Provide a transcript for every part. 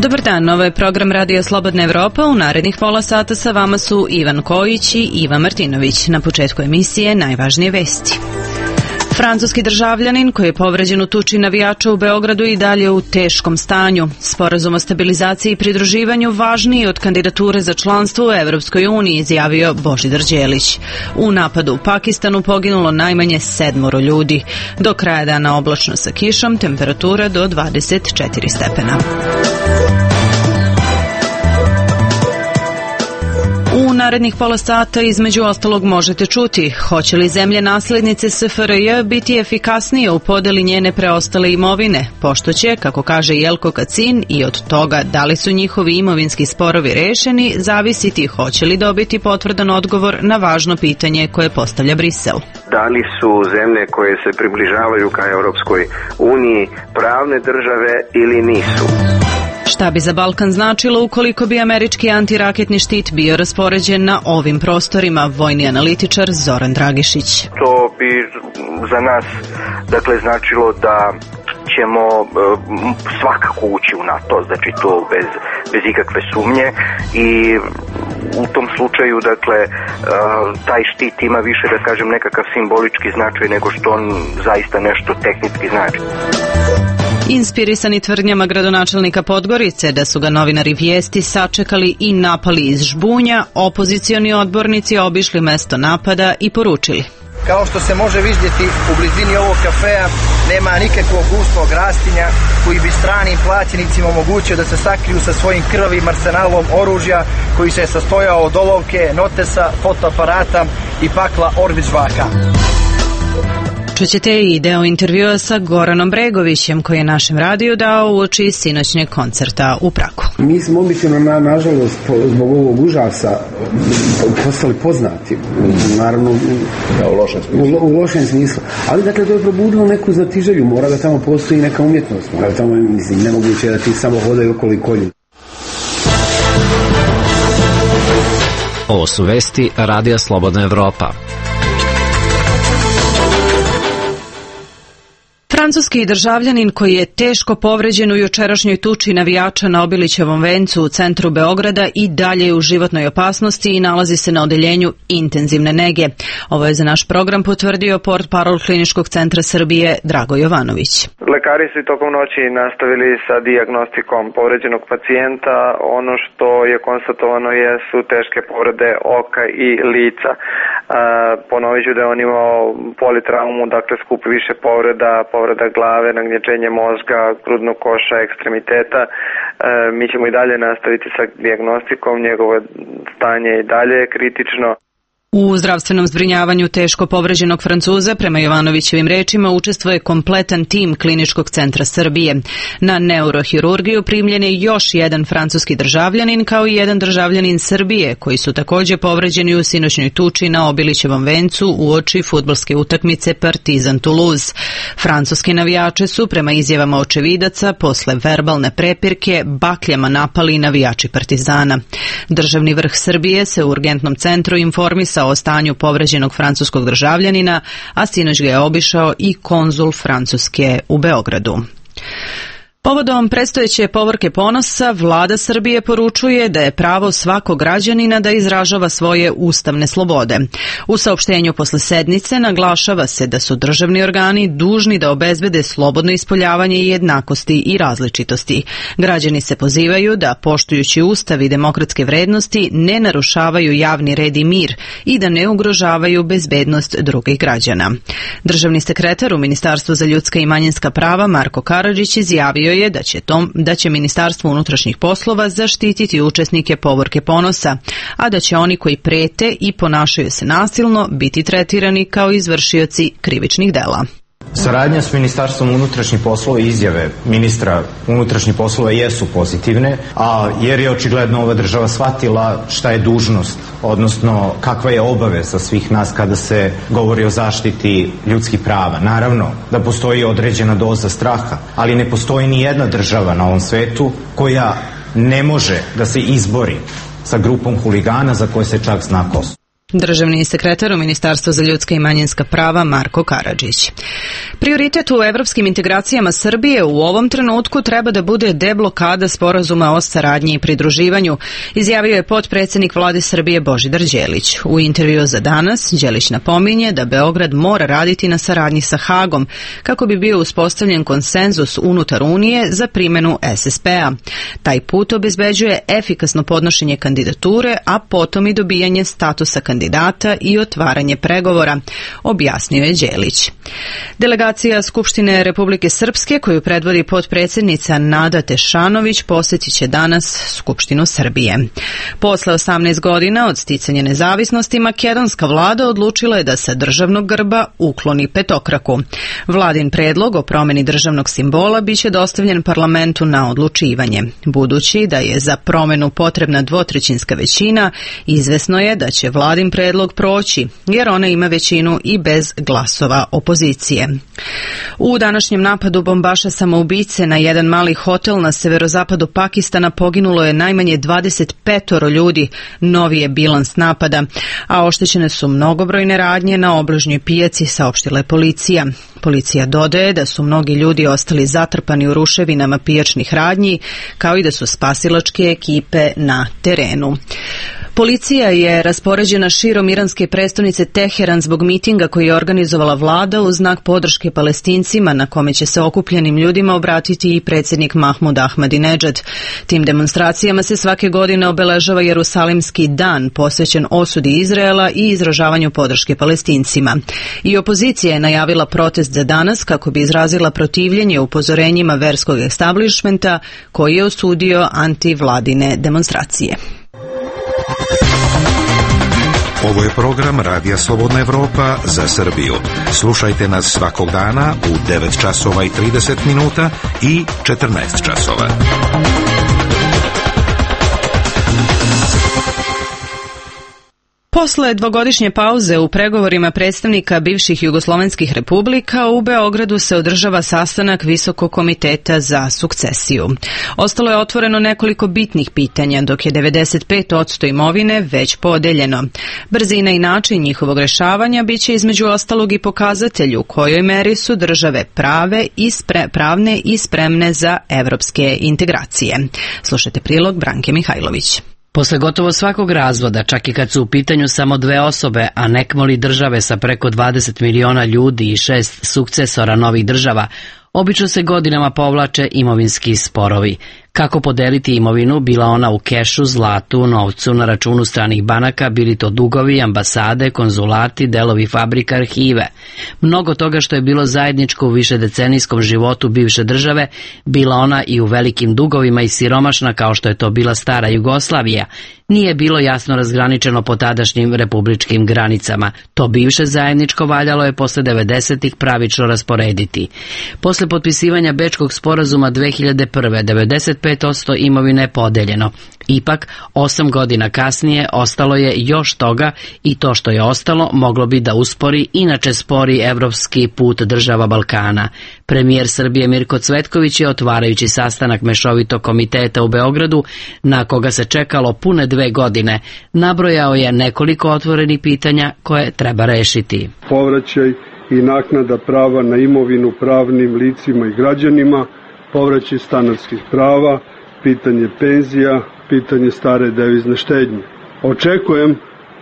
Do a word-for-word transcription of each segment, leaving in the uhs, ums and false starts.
Dobar dan, ovo je program Radio Slobodna Evropa. U narednih pola sata sa vama su Ivan Kojić i Iva Martinović. Na početku emisije najvažnije vesti. Francuski državljanin koji je povređen u tuči navijača u Beogradu i dalje u teškom stanju. Sporazum o stabilizaciji i pridruživanju važniji od kandidature za članstvo u Evropskoj uniji, izjavio Božidar Đelić. U napadu u Pakistanu poginulo najmanje sedmoro ljudi. Do kraja dana oblačno sa kišom, temperatura do dvadeset četiri stepena. U narednih pola sata između ostalog možete čuti hoće li zemlje naslednice S F R J biti efikasnije u podeli njene preostale imovine, pošto će, kako kaže Jelko Kacin, i od toga da li su njihovi imovinski sporovi rešeni, zavisiti hoće li dobiti potvrdan odgovor na važno pitanje koje postavlja Brisel. Da li su zemlje koje se približavaju ka Europskoj uniji pravne države ili nisu? Šta bi za Balkan značilo ukoliko bi američki antiraketni štit bio raspoređen na ovim prostorima, vojni analitičar Zoran Dragišić. To bi za nas dakle značilo da ćemo uh, svakako ući u NATO, znači to bez, bez ikakve sumnje, i u tom slučaju dakle uh, taj štit ima više, da kažem, nekakav simbolički značaj nego što on zaista nešto tehnički znači. Inspirisani tvrdnjama gradonačelnika Podgorice da su ga novinari Vijesti sačekali i napali iz žbunja, opozicioni odbornici obišli mesto napada i poručili: kao što se može vidjeti, u blizini ovog kafea nema nikakvog gustog rastinja koji bi stranim plaćenicima omogućio da se sakriju sa svojim krvavim arsenalom oružja koji se sastojao od olovke, notesa, fotoaparata i pakla Orvićvaka. Čućete i deo intervjua sa Goranom Bregovićem koji je našem radiju dao uoči sinoćnjeg koncerta u Pragu. Mi smo obično, na, nažalost, zbog ovog užasa postali poznati, naravno u, u, lošem smislu. u, u lošem smislu. Ali dakle to je probudilo neku znatiželju, mora da tamo postoji neka umjetnost, mora da tamo, mislim, nemoguće da ti samo hodaju okolo i kolju. Ovo su vesti Radija Slobodna Evropa. Francuski državljanin koji je teško povređen u jučerašnjoj tuči navijača na Obilićevom vencu u centru Beograda i dalje je u životnoj opasnosti i nalazi se na odeljenju intenzivne nege. Ovo je za naš program potvrdio portparol Kliničkog centra Srbije Drago Jovanović. Lekari su tokom noći nastavili sa dijagnostikom povređenog pacijenta. Ono što je konstatovano jesu teške povrede oka i lica. Ponovit ću da je on imao politraumu, dakle skup više povreda, povreda glave, nagnječenje mozga, grudnog koša, ekstremiteta. E, mi ćemo i dalje nastaviti sa dijagnostikom, njegovo stanje i dalje je kritično. U zdravstvenom zbrinjavanju teško povređenog Francuza, prema Jovanovićevim rečima, učestvuje kompletan tim Kliničkog centra Srbije. Na neurohirurgiju primljen je još jedan francuski državljanin kao i jedan državljanin Srbije, koji su također povređeni u sinoćnoj tuči na Obilićevom vencu uoči fudbalske utakmice Partizan Toulouse. Francuski navijače su, prema izjavama očevidaca, posle verbalne prepirke bakljama napali navijači Partizana. Državni vrh Srbije se u urgentnom centru informisao o stanju povređenog francuskog državljanina, a sinoć ga je obišao i konzul Francuske u Beogradu. Povodom predstojeće povorke ponosa, vlada Srbije poručuje da je pravo svakog građanina da izražava svoje ustavne slobode. U saopštenju posle sednice naglašava se da su državni organi dužni da obezbede slobodno ispoljavanje i jednakosti i različitosti. Građani se pozivaju da, poštujući ustav i demokratske vrednosti, ne narušavaju javni red i mir i da ne ugrožavaju bezbednost drugih građana. Državni sekretar u Ministarstvu za ljudska i manjinska prava Marko Karadžić izjavio je da će, tom, da će Ministarstvo unutrašnjih poslova zaštititi učesnike povorke ponosa, a da će oni koji prete i ponašaju se nasilno biti tretirani kao izvršioci krivičnih dela. Saradnja s Ministarstvom unutrašnjih poslova i izjave ministra unutrašnjih poslova jesu pozitivne, a jer je očigledno ova država shvatila šta je dužnost, odnosno kakva je obaveza svih nas kada se govori o zaštiti ljudskih prava. Naravno da postoji određena doza straha, ali ne postoji ni jedna država na ovom svetu koja ne može da se izbori sa grupom huligana za koje se čak zna ko su. Državni sekretar u Ministarstvu za ljudska i manjinska prava Marko Karadžić. Prioritet u evropskim integracijama Srbije u ovom trenutku treba da bude deblokada sporazuma o saradnji i pridruživanju, izjavio je potpredsednik Vlade Srbije Božidar Đelić. U intervju za Danas Đelić napominje da Beograd mora raditi na saradnji sa Hagom kako bi bio uspostavljen konsenzus unutar Unije za primenu es es pe-a. Taj put obezbeđuje efikasno podnošenje kandidature, a potom i dobijanje statusa kandidata kandidata i otvaranje pregovora, objasnio je Đelić. Delegacija Skupštine Republike Srpske, koju predvodi potpredsednica Nada Tešanović, posjetit će danas Skupštinu Srbije. Posle osamnaest godina od sticanja nezavisnosti, makedonska vlada odlučila je da sa državnog grba ukloni petokraku. Vladin predlog o promeni državnog simbola biće dostavljen parlamentu na odlučivanje. Budući da je za promenu potrebna dvotrećinska većina, izvesno je da će vladin predlog proći, jer ona ima većinu i bez glasova opozicije. U današnjem napadu bombaša samoubice na jedan mali hotel na severozapadu Pakistana poginulo je najmanje dvadeset pet ljudi, novi je bilans napada, a oštećene su mnogobrojne radnje na obližnjoj pijaci, saopštila je policija. Policija dodaje da su mnogi ljudi ostali zatrpani u ruševinama pijačnih radnji, kao i da su spasilačke ekipe na terenu. Policija je raspoređena širom iranske prestonice Teheran zbog mitinga koji je organizovala vlada u znak podrške Palestincima, na kome će se okupljenim ljudima obratiti i predsjednik Mahmud Ahmadinedžad. Tim demonstracijama se svake godine obeležava Jerusalimski dan, posvećen osudi Izraela i izražavanju podrške Palestincima. I opozicija je najavila protest za danas kako bi izrazila protivljenje upozorenjima verskog establishmenta koji je osudio antivladine demonstracije. Ovo je program Radija Slobodna Evropa za Srbiju. Slušajte nas svakog dana u devet časova i trideset minuta i četrnaest časova. Posle dvogodišnje pauze u pregovorima predstavnika bivših jugoslovenskih republika, u Beogradu se održava sastanak Visokog komiteta za sukcesiju. Ostalo je otvoreno nekoliko bitnih pitanja, dok je devedeset pet posto imovine već podeljeno. Brzina i način njihovog rešavanja biće između ostalog i pokazatelj u kojoj meri su države prave i spre, pravne i spremne za evropske integracije. Slušajte prilog Branke Mihajlović. Posle gotovo svakog razvoda, čak i kad su u pitanju samo dve osobe, a nekmoli države sa preko dvadeset miliona ljudi i šest sukcesora novih država, obično se godinama povlače imovinski sporovi. Kako podeliti imovinu, bila ona u kešu, zlatu, novcu, na računu stranih banaka, bili to dugovi, ambasade, konzulati, delovi fabrika, arhive. Mnogo toga što je bilo zajedničko u višedecenijskom životu bivše države, bila ona i u velikim dugovima i siromašna kao što je to bila stara Jugoslavija, nije bilo jasno razgraničeno po tadašnjim republičkim granicama. To bivše zajedničko valjalo je posle devedesetih pravično rasporediti. Posle potpisivanja Bečkog sporazuma dve hiljade prve. devedeset pet posto imovine je podeljeno. Ipak, osam godina kasnije ostalo je još toga i to što je ostalo moglo bi da uspori inače spori evropski put država Balkana. Premijer Srbije Mirko Cvetković je, otvarajući sastanak Mešovitog komiteta u Beogradu, na koga se čekalo pune dve godine, nabrojao je nekoliko otvorenih pitanja koje treba rešiti. Povraćaj i naknada prava na imovinu pravnim licima i građanima, povraćaj stanarskih prava, pitanje penzija, pitanje stare devizne štednje. Očekujem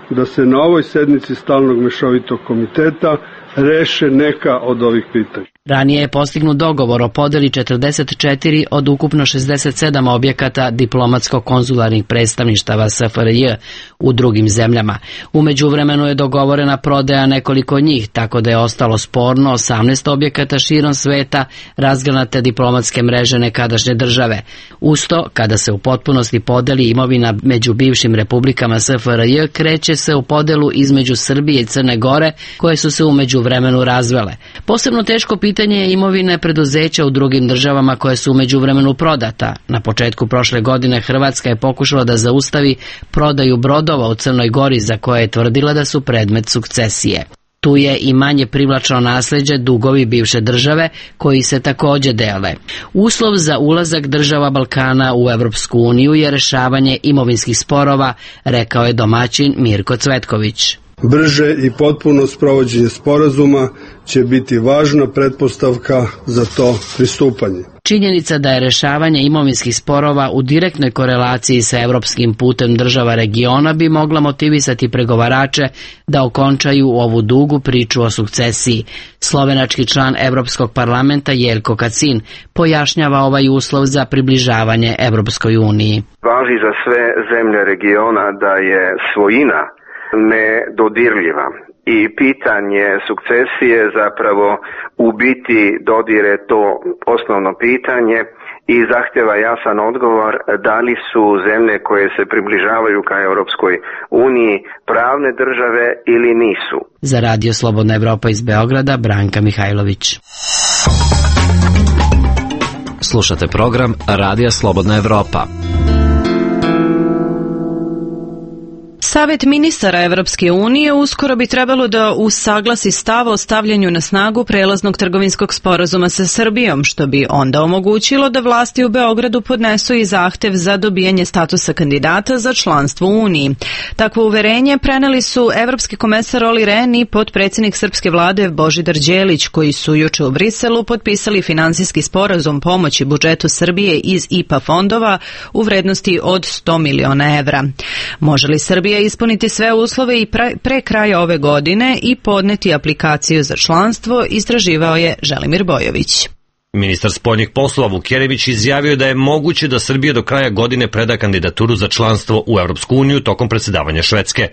da se na ovoj sednici Stalnog mešovitog komiteta reše neka od ovih pitanja. Ranije je postignut dogovor o podeli četrdeset četiri od ukupno šezdeset sedam objekata diplomatsko-konzularnih predstavništava S F R J u drugim zemljama. U međuvremenu je dogovorena prodaja nekoliko njih, tako da je ostalo sporno osamnaest objekata širom sveta razgranate diplomatske mreže nekadašnje države. Usto, kada se u potpunosti podeli imovina među bivšim republikama S F R J, kreće se u podelu između Srbije i Crne Gore, koje su se u međuvremenu razvele. Posebno teško pitanje Pitanje je imovine preduzeća u drugim državama koje su u međuvremenu prodata. Na početku prošle godine Hrvatska je pokušala da zaustavi prodaju brodova u Crnoj Gori za koje je tvrdila da su predmet sukcesije. Tu je i manje privlačno nasleđe dugovi bivše države koji se takođe dele. Uslov za ulazak država Balkana u Evropsku uniju je rešavanje imovinskih sporova, rekao je domaćin Mirko Cvetković. Brže i potpuno sprovođenje sporazuma će biti važna pretpostavka za to pristupanje. Činjenica da je rešavanje imovinskih sporova u direktnoj korelaciji sa evropskim putem država regiona bi mogla motivisati pregovarače da okončaju ovu dugu priču o sukcesiji. Slovenački član Evropskog parlamenta Jelko Kacin pojašnjava ovaj uslov za približavanje Evropskoj uniji. Važi za sve zemlje regiona da je svojina nedodirljiva i pitanje sukcesije zapravo u biti dodire to osnovno pitanje i zahtjeva jasan odgovor da li su zemlje koje se približavaju ka Europskoj uniji pravne države ili nisu. Za Radio Slobodna Evropa iz Beograda, Branka Mihajlović. Slušate program Radija Slobodna Evropa. Savet ministara Evropske unije uskoro bi trebalo da usaglasi stav o stavljanju na snagu prelaznog trgovinskog sporazuma sa Srbijom, što bi onda omogućilo da vlasti u Beogradu podnesu i zahtev za dobijanje statusa kandidata za članstvo u Uniji. Takvo uverenje preneli su evropski komesar Olli Rehn i potpredsjednik srpske vlade Božidar Đelić, koji su juče u Briselu potpisali finansijski sporazum pomoći budžetu Srbije iz I P A fondova u vrednosti od sto miliona evra. Može li Srbija ispuniti sve uslove i pre, pre kraja ove godine i podneti aplikaciju za članstvo, istraživao je Želimir Bojović. Ministar spoljnih poslova Vuk Jeremić izjavio da je moguće da Srbija do kraja godine preda kandidaturu za članstvo u Evropsku uniju tokom predsjedavanja Švedske.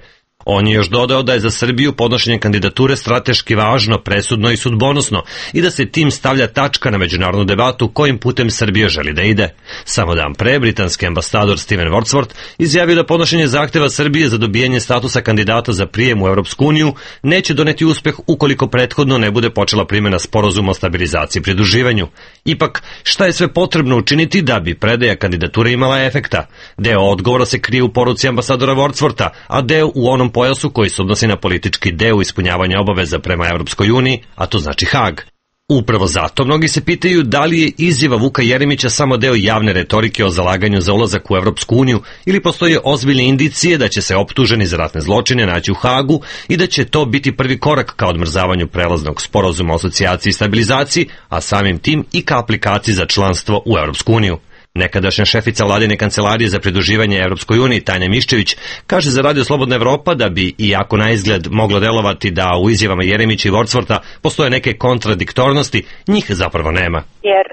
On je još dodao da je za Srbiju podnošenje kandidature strateški važno, presudno i sudbonosno i da se tim stavlja tačka na međunarodnu debatu kojim putem Srbija želi da ide. Samo dan pre, britanski ambasador Steven Wordsworth izjavio da podnošenje zahteva Srbije za dobijanje statusa kandidata za prijem u Evropsku uniju neće doneti uspeh ukoliko prethodno ne bude počela primjena sporazuma o stabilizaciji i pridruživanju. Ipak, šta je sve potrebno učiniti da bi predaja kandidature imala efekta? Deo odgovora se krije u poruci ambasadora Wordswortha, a deo u onom pojasu koji se odnosi na politički deo ispunjavanja obaveza prema Evropskoj uniji, a to znači Hag. Upravo zato mnogi se pitaju da li je izjava Vuka Jeremića samo deo javne retorike o zalaganju za ulazak u Evropsku uniju ili postoje ozbiljne indicije da će se optuženi za ratne zločine naći u Hagu i da će to biti prvi korak ka odmrzavanju prelaznog sporazuma o asocijaciji i stabilizaciji, a samim tim i ka aplikaciji za članstvo u Evropsku uniju. Nekadašnja šefica vladine kancelarije za pridruživanje Evropskoj uniji Tanja Miščević kaže za Radio Slobodna Evropa da bi, iako na izgled moglo delovati da u izjavama Jeremića i Wordswortha postoje neke kontradiktornosti, njih zapravo nema. Jer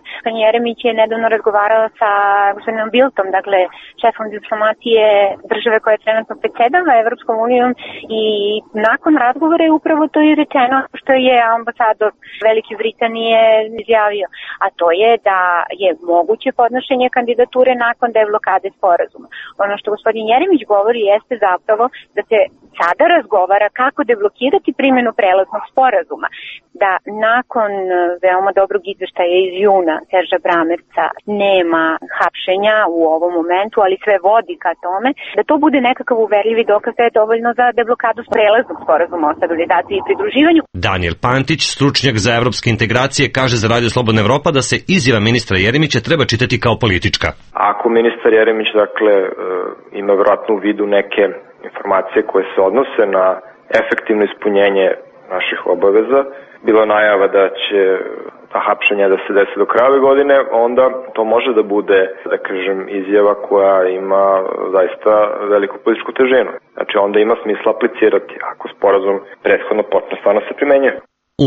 Jeremić je nedavno razgovarao sa gospodinom Biltom, dakle šefom diplomatije države koja je trenutno predsjedava Evropskom unijom, i nakon razgovora je upravo to i rečeno što je ambasador Velike Britanije izjavio, a to je da je moguće podnošenje kandidature nakon deblokade sporazuma. Ono što gospodin Jeremić govori jeste zapravo da se sada razgovara kako deblokirati primjenu prelaznog sporazuma, da nakon veoma dobrog izveštaja iz juna Serža Bramerca nema hapšenja u ovom momentu, ali sve vodi ka tome, da to bude nekakav uverljivi dokaz da je dovoljno za deblokadu prelaznog sporazuma o stabilizaciji i pridruživanju. Daniel Pantić, stručnjak za evropske integracije, kaže za Radio Slobodna Evropa da se izjava ministra Jeremića treba čitati kao politička. Ako ministar Jeremić, dakle, ima vjerojatno u vidu neke informacije koje se odnose na efektivno ispunjenje naših obaveza, bilo najava da će ta hapšenja da se desi do kraja godine, onda to može da bude, da kažem, izjava koja ima zaista veliku političku težinu. Znači onda ima smisla aplicirati ako sporazum prethodno počne stvarno se primenjuje.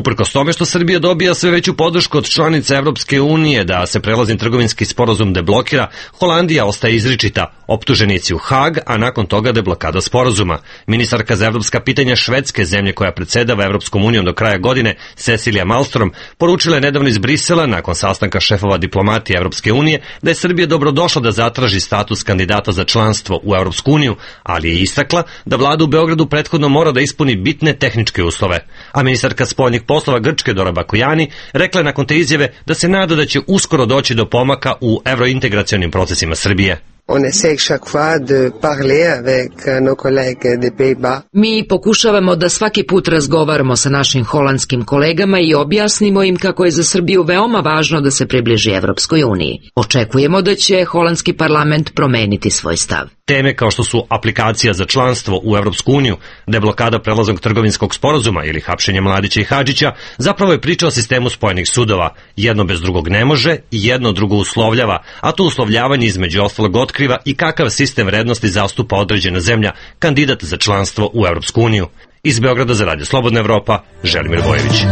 Uprkos tome što Srbija dobija sve veću podršku od članica Evropske unije da se prelazni trgovinski sporazum deblokira, Holandija ostaje izričita, optuženici u Hag, a nakon toga deblokada sporazuma. Ministarka za evropska pitanja Švedske, zemlje koja predsjedava Evropskom unijom do kraja godine, Cecilia Malmström, poručila je nedavno iz Brisela, nakon sastanka šefova diplomatije Evropske unije, da je Srbija dobrodošla da zatraži status kandidata za članstvo u Evropsku uniju, ali je istakla da vlada u Beogradu prethodno mora da ispuni bitne tehničke uslove. A ministarka spoljnih poslova Grčke Dora Bakujani rekla je nakon te izjave da se nada da će uskoro doći do pomaka u evrointegracionim procesima Srbije. On essaie chaque fois de parler avec nos collègues des Pays-Bas. Mi pokušavamo da svaki put razgovaramo sa našim holandskim kolegama i objasnimo im kako je za Srbiju veoma važno da se približi Evropskoj uniji. Očekujemo da će holandski parlament promeniti svoj stav. Teme kao što su aplikacija za članstvo u Evropsku uniju, deblokada prelaznog trgovinskog sporazuma ili hapšenje Mladića i Hadžića, zapravo je priča o sistemu spojenih sudova. Jedno bez drugog ne može i jedno drugo uslovljava, a to uslovljavanje između ostalog otkriva i kakav sistem vrednosti zastupa određena zemlja, kandidat za članstvo u Evropsku uniju. Iz Beograda za Radio Slobodna Evropa, Želimir Bojević.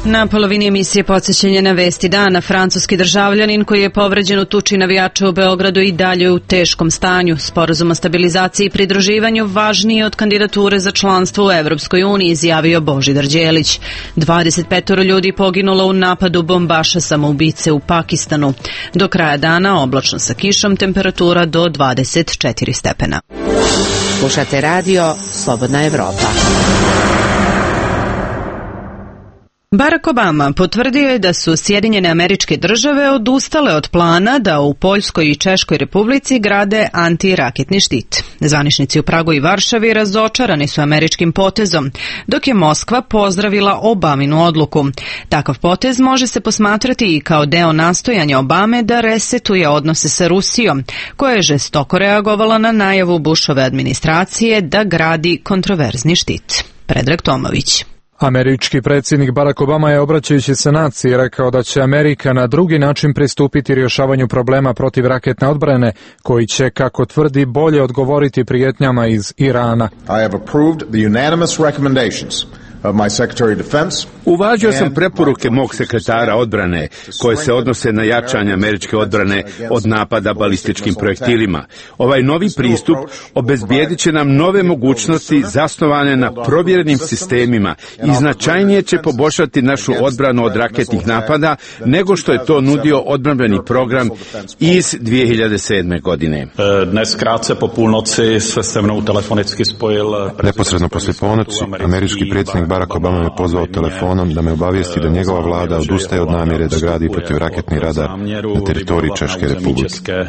Na polovini emisije podsjećanje na vesti dana, francuski državljanin koji je povređen u tuči navijača u Beogradu i dalje u teškom stanju. Sporazum o stabilizaciji i pridruživanju važniji od kandidature za članstvo u Evropskoj uniji, izjavio Božidar Đelić. dvadeset pet ljudi poginulo u napadu bombaša samoubice u Pakistanu. Do kraja dana oblačno sa kišom, temperatura do dvadeset četiri stepena. Slušate radio Slobodna Evropa. Barack Obama potvrdio je da su Sjedinjene Američke Države odustale od plana da u Poljskoj i Češkoj Republici grade antiraketni štit. Zvaničnici u Pragu i Varšavi razočarani su američkim potezom, dok je Moskva pozdravila Obaminu odluku. Takav potez može se posmatrati i kao deo nastojanja Obame da resetuje odnose sa Rusijom, koja je žestoko reagovala na najavu Bushove administracije da gradi kontroverzni štit. Predrag Tomović. Američki predsjednik Barack Obama je, obraćajući se naciji, rekao da će Amerika na drugi način pristupiti rješavanju problema protiv raketne odbrane, koji će, kako tvrdi, bolje odgovoriti prijetnjama iz Irana. I have approved the unanimous recommendations of my Secretary of Defense. Uvažio sam preporuke mog sekretara odbrane koje se odnose na jačanje američke odbrane od napada balističkim projektilima. Ovaj novi pristup obezbijedit će nam nove mogućnosti zasnovane na provjerenim sistemima i značajnije će poboljšati našu odbranu od raketnih napada nego što je to nudio odbrambeni program iz dvije hiljade sedme. godine. Dnes krátce po půlnoci se se mnou telefonicky spojil. Neposredno poslije ponoći američki predsjednik Barack Obama me pozvao telefonom da me obavijesti da njegova vlada odustaje od namjere da gradi protivraketni radar na teritoriji Češke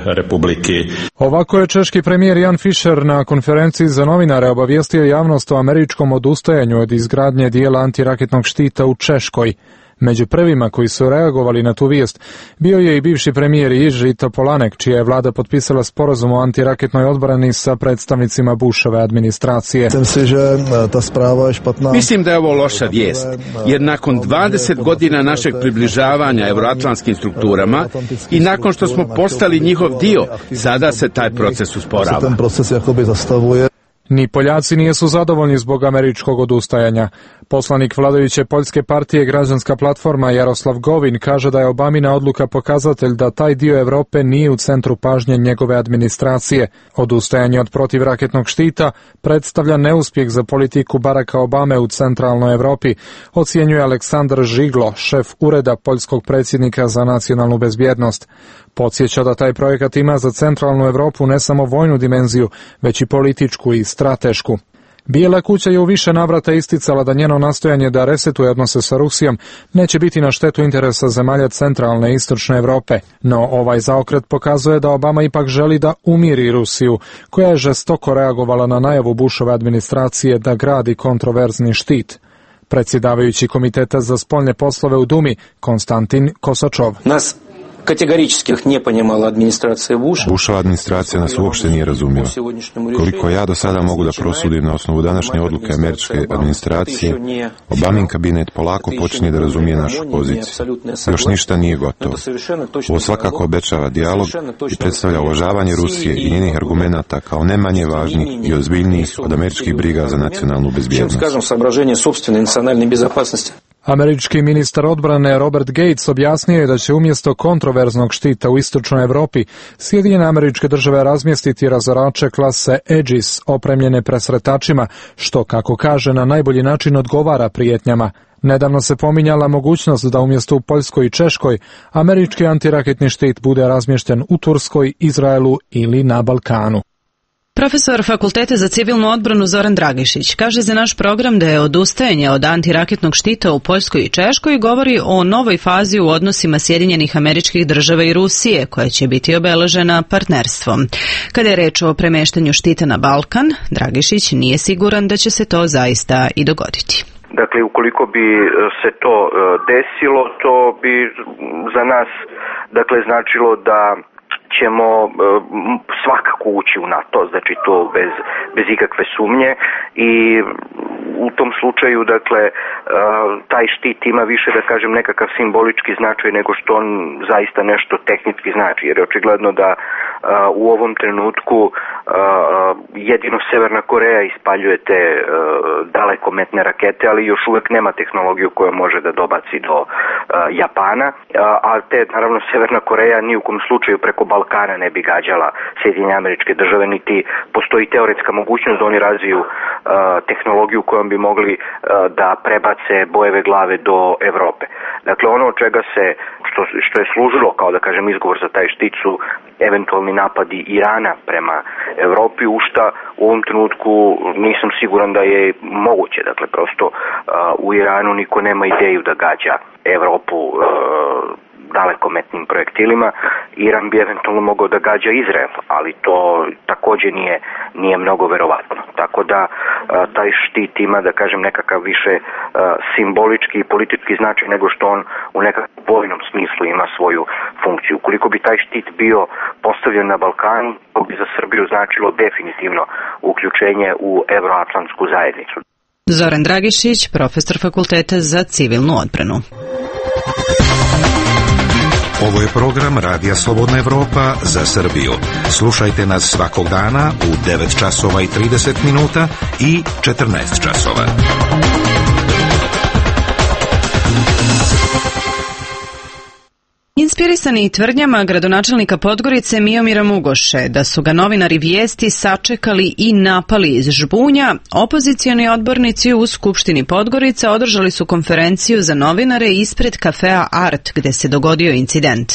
republike. Ovako je češki premijer Jan Fischer na konferenciji za novinare obavijestio javnost o američkom odustajanju od izgradnje dijela antiraketnog štita u Češkoj. Među prvima koji su reagovali na tu vijest bio je i bivši premijer Jiří Topolanek, čija je vlada potpisala sporazum o antiraketnoj odbrani sa predstavnicima Bushove administracije. Mislim da je ovo loša vijest, jer nakon dvadeset godina našeg približavanja euroatlantskim strukturama i nakon što smo postali njihov dio, sada se taj proces usporava. Ni Poljaci nisu zadovoljni zbog američkog odustajanja. Poslanik vladajuće poljske partije Građanska platforma Jaroslav Govin kaže da je Obamina odluka pokazatelj da taj dio Europe nije u centru pažnje njegove administracije. Odustajanje od protivraketnog štita predstavlja neuspjeh za politiku Baracka Obame u centralnoj Europi, ocjenjuje Aleksandar Žiglo, šef ureda poljskog predsjednika za nacionalnu bezbjednost. Podsjeća da taj projekat ima za centralnu Europu ne samo vojnu dimenziju, već i političku i stratešku. Bijela kuća je u više navrata isticala da njeno nastojanje da resetuje odnose sa Rusijom neće biti na štetu interesa zemalja centralne i istočne Europe, no ovaj zaokret pokazuje da Obama ipak želi da umiri Rusiju, koja je žestoko reagovala na najavu Bushove administracije da gradi kontroverzni štit. Predsjedavajući Komiteta za spoljne poslove u Dumi, Konstantin Kosačov. Nas kategorički ne ponimala administracija Busha. Bushova administracija nas uopšte nije razumjela. Koliko ja do sada mogu da prosudim na osnovu današnje odluke američke administracije, Obamin kabinet polako počinje da razumije našu poziciju. Još ništa nije gotovo. Ovo svakako obećava dijalog i predstavlja uvažavanje Rusije i njenih argumenata kao ne manje važnih i ozbiljnijih od američkih briga za nacionalnu bezbjednost. Američki ministar odbrane Robert Gates objasnio je da će umjesto kontroverznog štita u istočnoj Europi Sjedinjene Američke Države razmjestiti razorače klase Aegis opremljene presretačima, što, kako kaže, na najbolji način odgovara prijetnjama. Nedavno se pominjala mogućnost da umjesto u Poljskoj i Češkoj američki antiraketni štit bude razmješten u Turskoj, Izraelu ili na Balkanu. Profesor Fakulteta za civilnu odbranu Zoran Dragišić kaže za naš program da je odustajanje od antiraketnog štita u Poljskoj i Češkoj i govori o novoj fazi u odnosima Sjedinjenih Američkih Država i Rusije, koja će biti obeležena partnerstvom. Kada je reč o premeštanju štita na Balkan, Dragišić nije siguran da će se to zaista i dogoditi. Dakle, ukoliko bi se to desilo, to bi za nas, dakle, značilo da ćemo svakako ući u NATO, znači to bez, bez ikakve sumnje, i u tom slučaju, dakle, taj štit ima više, da kažem, nekakav simbolički značaj nego što on zaista nešto tehnički znači, jer je očigledno da u ovom trenutku jedino Severna Koreja ispaljuje te dalekometne rakete, ali još uvek nema tehnologiju koja može da dobaci do Japana, a te, naravno, Severna Koreja ni u kom slučaju preko Balkana ne bi gađala Sjedinjene Američke Države, niti postoji teoretska mogućnost da oni razviju tehnologiju kojom bi mogli da prebace bojeve glave do Evrope. Dakle, ono od čega se, što, što je služilo kao, da kažem, izgovor za taj štit su eventualni napadi Irana prema Evropi, u šta u ovom trenutku nisam siguran da je moguće. Dakle, prosto u Iranu niko nema ideju da gađa Evropu dalekometnim projektilima. Iran bi eventualno mogao da gađa Izrael, ali to takođe nije, nije mnogo verovatno. Tako da a, taj štit ima, da kažem, nekakav više a, simbolički i politički značaj nego što on u nekakvom vojnom smislu ima svoju funkciju. Ukoliko bi taj štit bio postavljen na Balkanu, to bi za Srbiju značilo definitivno uključenje u Evroatlantsku zajednicu. Zoran Dragišić, profesor Fakulteta za civilnu odbranu. Ovo je program Radija Slobodna Evropa za Srbiju. Slušajte nas svakog dana u devet časova i trideset minuta i četrnaest časova. Inspirisani tvrdnjama gradonačelnika Podgorice Miomira Mugoše da su ga novinari Vijesti sačekali i napali iz žbunja, opozicioni odbornici u Skupštini Podgorica održali su konferenciju za novinare ispred kafea Art gde se dogodio incident.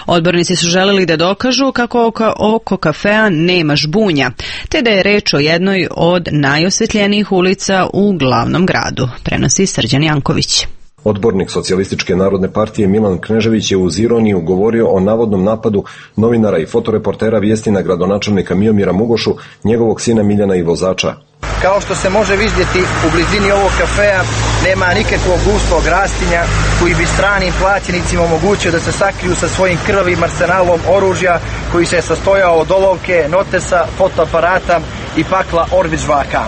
Odbornici su želeli da dokažu kako oko, oko kafea nema žbunja, te da je reč o jednoj od najosvetljenijih ulica u glavnom gradu, prenosi Srđan Janković. Odbornik Socijalističke narodne partije Milan Knežević je uz ironiju govorio o navodnom napadu novinara i fotoreportera Vijesti na gradonačelnika Miomira Mugošu, njegovog sina Miljana i vozača. Kao što se može vidjeti, u blizini ovog kafea nema nikakvog gustog rastinja koji bi stranim plaćenicima omogućio da se sakriju sa svojim krvavim arsenalom oružja koji se sastojao od olovke, notesa, fotoaparata i pakla Orvić-žvaka.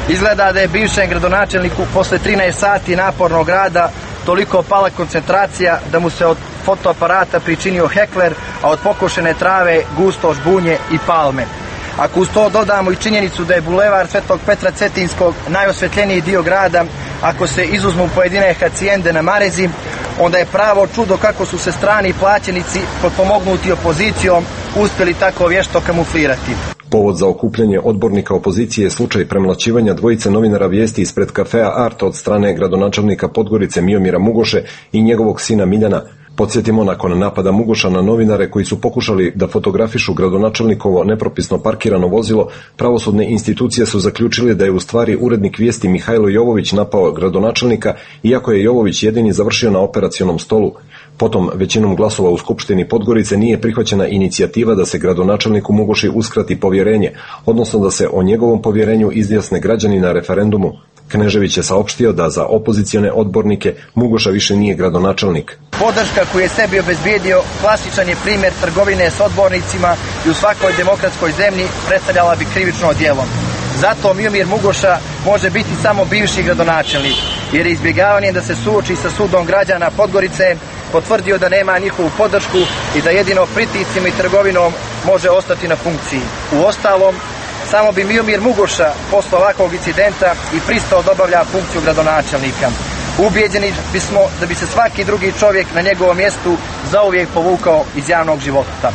Izgleda da je bivšem gradonačelniku posle trinaest sati napornog rada toliko pala koncentracija da mu se od fotoaparata pričinio hekler, a od pokošene trave gusto žbunje i palme. Ako uz to dodamo i činjenicu da je bulevar Svetog Petra Cetinskog najosvetljeniji dio grada, ako se izuzmu pojedine hacijende na Marezi, onda je pravo čudo kako su se strani plaćenici potpomognuti opozicijom uspjeli tako vješto kamuflirati. Povod za okupljanje odbornika opozicije je slučaj premlaćivanja dvojice novinara Vijesti ispred kafea Art od strane gradonačelnika Podgorice Miomira Mugoše i njegovog sina Miljana. Podsjetimo, nakon napada Mugoša na novinare koji su pokušali da fotografišu gradonačelnikovo nepropisno parkirano vozilo, pravosudne institucije su zaključile da je u stvari urednik Vijesti Mihajlo Jovović napao gradonačelnika, iako je Jovović jedini završio na operacionom stolu. Potom, većinom glasova u Skupštini Podgorice nije prihvaćena inicijativa da se gradonačelniku Mugoši uskrati povjerenje, odnosno da se o njegovom povjerenju izjasne građani na referendumu. Knežević je saopštio da za opozicione odbornike Mugoša više nije gradonačelnik. Podrška koju je sebi obezbijedio klasičan je primjer trgovine s odbornicima i u svakoj demokratskoj zemlji predstavljala bi krivično djelo. Zato Miomir Mugoša može biti samo bivši gradonačelnik, jer je izbjegavanjem da se suoči sa sudom građana Podgorice potvrdio da nema njihovu podršku i da jedino pritiscima i trgovinom može ostati na funkciji. Uostalom, samo bi Miomir Mugoša posle ovakvog incidenta i pristao da obavlja funkciju gradonačelnika. Ubijeđeni bismo da bi se svaki drugi čovjek na njegovom mjestu zauvijek povukao iz javnog života.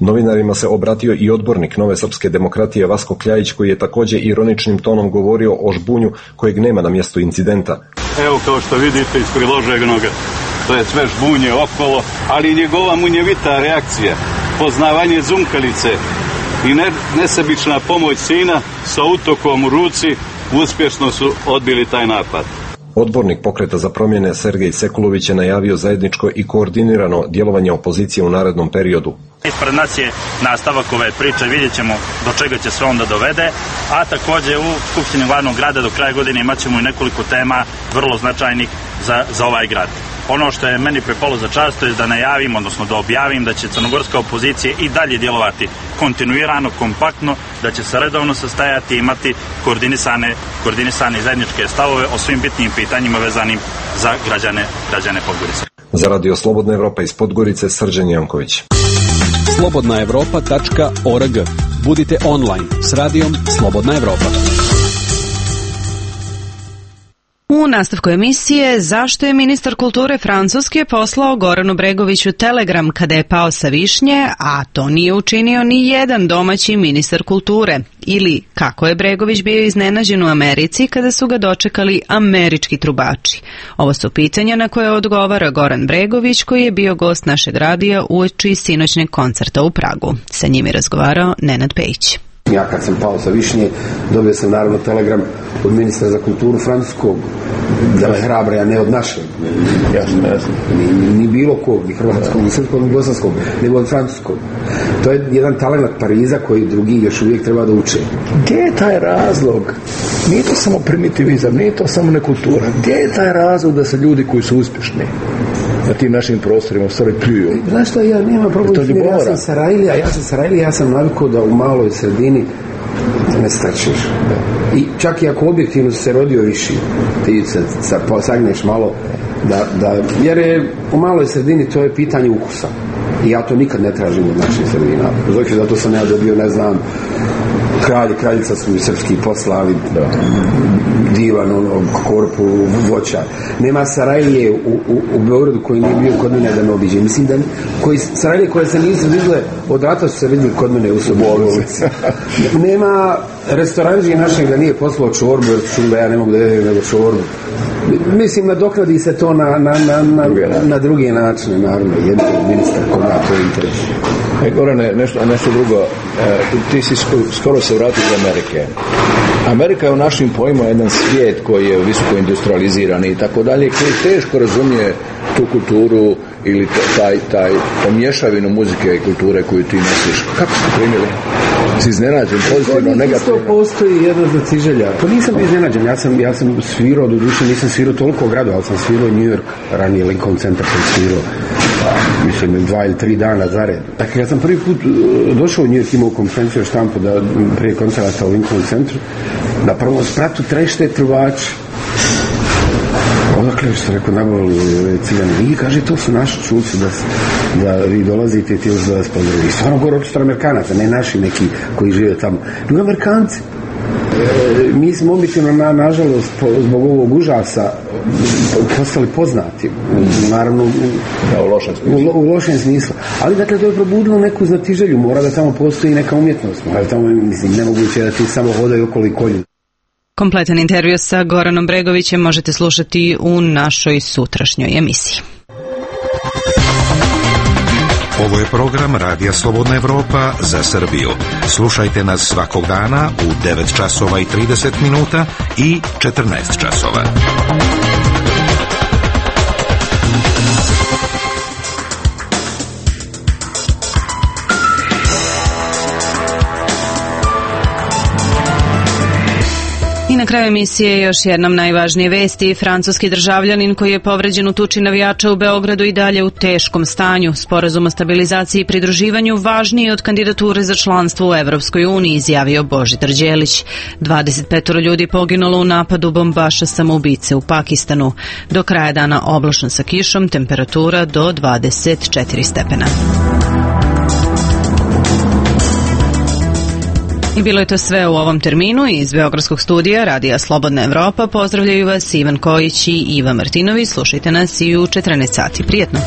Novinarima se obratio i odbornik Nove srpske demokratije Vasko Kljajić, koji je također ironičnim tonom govorio o žbunju kojeg nema na mjestu incidenta. Evo, kao što vidite iz priloženog, to je sve žbunje okolo, ali njegova munjevita reakcija, poznavanje zumkalice, i ne, nesebična pomoć sina sa utokom u ruci uspješno su odbili taj napad. Odbornik Pokreta za promjene Sergej Sekulović je najavio zajedničko i koordinirano djelovanje opozicije u narednom periodu. Ispred nas je nastavak ove priče, vidjet ćemo do čega će sve onda dovede, a također u Skupštini glavnog grada do kraja godine imat ćemo i nekoliko tema vrlo značajnih za, za ovaj grad. Ono što je meni pripalo za čast to je da najavim, odnosno da objavim da će crnogorska opozicija i dalje djelovati kontinuirano, kompaktno, da će se redovno sastajati i imati koordinisane, koordinisane zajedničke stavove o svim bitnim pitanjima vezanim za građane, građane Podgorice. Za Radio Slobodna Evropa iz Podgorice, Srđan Janković. slobodna evropa tačka org. Budite online s radijom Slobodna Evropa. U nastavku emisije zašto je ministar kulture Francuske poslao Goranu Bregoviću telegram kada je pao sa višnje, a to nije učinio ni jedan domaći ministar kulture, ili kako je Bregović bio iznenađen u Americi kada su ga dočekali američki trubači. Ovo su pitanja na koje odgovara Goran Bregović, koji je bio gost našeg radija uoči sinoćnjeg koncerta u Pragu. Sa njim je razgovarao Nenad Pejić. Ja kad sam pao sa višnje, dobio sam naravno telegram od ministra za kulturu francuskog, da me hrabra, a ne od našeg. Jasno, jasno. Ni, ni bilo kog, ni hrvatskog, ni srpskog, ni bosanskog, nego od francuskog. To je jedan talent Pariza koji drugi još uvijek treba da uče. Gdje je taj razlog? Nije to samo primitivizam, nije to samo nekultura. Gdje je taj razlog da se ljudi koji su uspješni na tim našim prostorima u stvari pljuju? Znaš što, ja nema problem, ja sam Sarajlija, ja sam Sarajlija, ja sam navikao da u maloj sredini ne strčiš. I čak i ako objektivno se rodio viši, ti se sagneš malo, da, da, jer je u maloj sredini to je pitanje ukusa. I ja to nikad ne tražim od naših sredina. Znači, zato sam ja dobio, ne znam, kralj, kraljica su mi srpski poslali, da, divan, ono, korpu, voća. Nema Sarajlije u, u, u Beogradu koji nije bio kod mene da ne obiđe. Mislim da koji, Sarajlije koje se nisu vidjele od rata su se vidjeli kod mene u Sobolnici. Nema restoranđi našeg da nije poslao čorbu, jer čuo da ja ne mogu da jedem nego čorbu. Mislim, nadoknadi se to na, na, na, na, na druge načine, naravno, jedan ministar koga to interesuje. E, Gorane, nešto, nešto drugo, e, ti si skoro se vratio iz Amerike. Amerika je u našim pojmima jedan svijet koji je visoko industrializiran i tako dalje, koji teško razumije tu kulturu ili taj, taj pomješavinu muzike i kulture koju ti nosiš. Kako ste primili? Si iznenađen, pozitivno, negativno? Isto postoji jedna zaciželja. To nisam iznenađen, ja sam, ja sam svirao, do duše nisam svirao toliko gradu, ali sam svirao New York, ranije Lincoln Center sam svirao, mislim, dva ili tri dana zared. Dakle, kad sam prvi put došao u New York, imao konferenciju štampu da prije koncerta u Lincoln Centru, na prvom spratu trešte trubači. Odakle što rekao, nabavili ciljani. I kaže, to su naši čulci da, da vi dolazite i ti još da vas pozdravili. I stvarno gore očito Amerikanaca, ne naši neki koji žive tamo. Nego Amerikanci. E, mi smo objektivno, na, nažalost, po, zbog ovog užasa postali poznati. Naravno, u, da, u, lošem u, u lošem smislu. Ali, dakle, to je probudilo neku znatiželju. Mora da tamo postoji neka umjetnost. Mora da tamo, mislim, nemoguće da ti samo hodaju okolo i kolju. Kompletan intervju sa Goranom Bregovićem možete slušati u našoj sutrašnjoj emisiji. Ovo je program Radija Slobodna Evropa za Srbiju. Slušajte nas svakog dana u devet časova i trideset minuta i četrnaest časova. I na kraju emisije još jednom najvažnije vesti. Francuski državljanin koji je povređen u tuči navijača u Beogradu i dalje u teškom stanju. Sporazum o stabilizaciji i pridruživanju važniji od kandidature za članstvo u Evropskoj uniji, izjavio Božidar Đelić. dvadeset pet ljudi poginulo u napadu bombaša samoubice u Pakistanu. Do kraja dana oblačno sa kišom, temperatura do dvadeset četiri stepena. I bilo je to sve u ovom terminu. Iz Beogradskog studija Radija Slobodna Evropa pozdravljaju vas Ivan Kojić i Iva Martinović. Slušajte nas i u četrnaest sati. Prijetno!